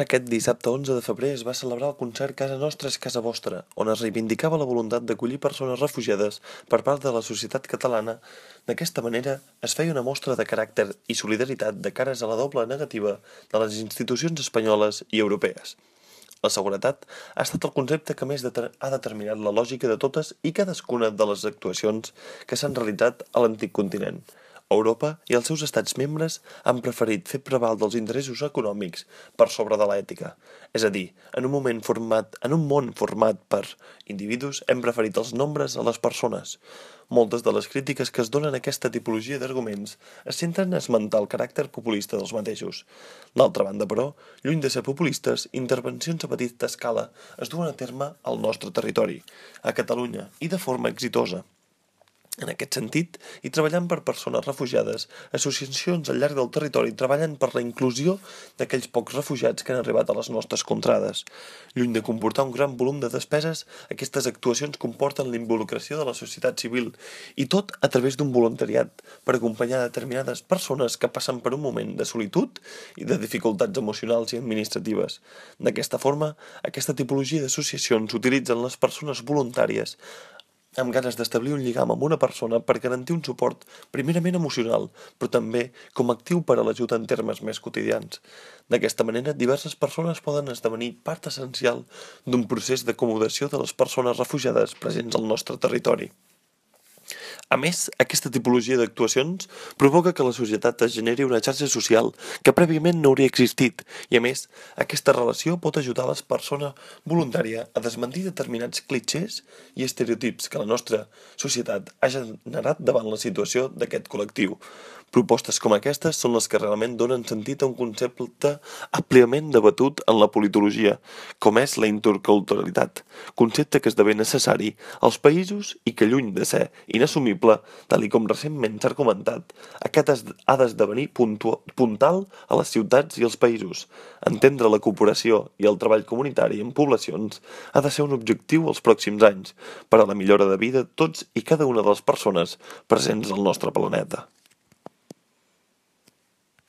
Aquest dissabte 11 de febrer es va celebrar el concert Casa Nostra és Casa Vostra, on es reivindicava la voluntat d'acollir persones refugiades per part de la societat catalana. D'aquesta manera, es feia una mostra de caràcter i solidaritat de cares a la doble negativa de les institucions espanyoles i europees. La seguretat ha estat el concepte que més ha determinat la lògica de totes i cadascuna de les actuacions que s'han realitzat a l'antic continent. Europa i els seus estats membres han preferit fer prevaldre els interessos econòmics per sobre de l'ètica. És a dir, en un món format per individus hem preferit els nombres a les persones. Moltes de les crítiques que es donen a aquesta tipologia d'arguments es centren a esmentar el caràcter populista dels mateixos. D'altra banda, però, lluny de ser populistes, intervencions a petita escala es duen a terme al nostre territori, a Catalunya, i de forma exitosa. En aquest sentit, i treballant per persones refugiades, associacions al llarg del territori treballen per la inclusió d'aquells pocs refugiats que han arribat a les nostres contrades. Lluny de comportar un gran volum de despeses, aquestes actuacions comporten la involucració de la societat civil, i tot a través d'un voluntariat, per acompanyar determinades persones que passen per un moment de solitud i de dificultats emocionals i administratives. D'aquesta forma, aquesta tipologia d'associacions utilitzen les persones voluntàries amb ganes d'establir un lligam amb una persona per garantir un suport primerament emocional, però també com actiu per a l'ajuda en termes més quotidians. D'aquesta manera, diverses persones poden esdevenir part essencial d'un procés d'acomodació de les persones refugiades presents al nostre territori. A més, aquesta tipologia d'actuacions provoca que la societat es generi una xarxa social que prèviament no hauria existit i, a més, aquesta relació pot ajudar a les persones voluntària a desmentir determinats clitxers i estereotips que la nostra societat ha generat davant la situació d'aquest col·lectiu. Propostes com aquestes són les que realment donen sentit a un concepte àmpliament debatut en la politologia, com és la interculturalitat, concepte que esdevé necessari als països i que, lluny de ser inassumible, tal com recentment s'ha argumentat, aquest ha d'esdevenir puntal a les ciutats i als països. Entendre la cooperació i el treball comunitari en poblacions ha de ser un objectiu als pròxims anys per a la millora de vida de tots i cada una de les persones presents al nostre planeta.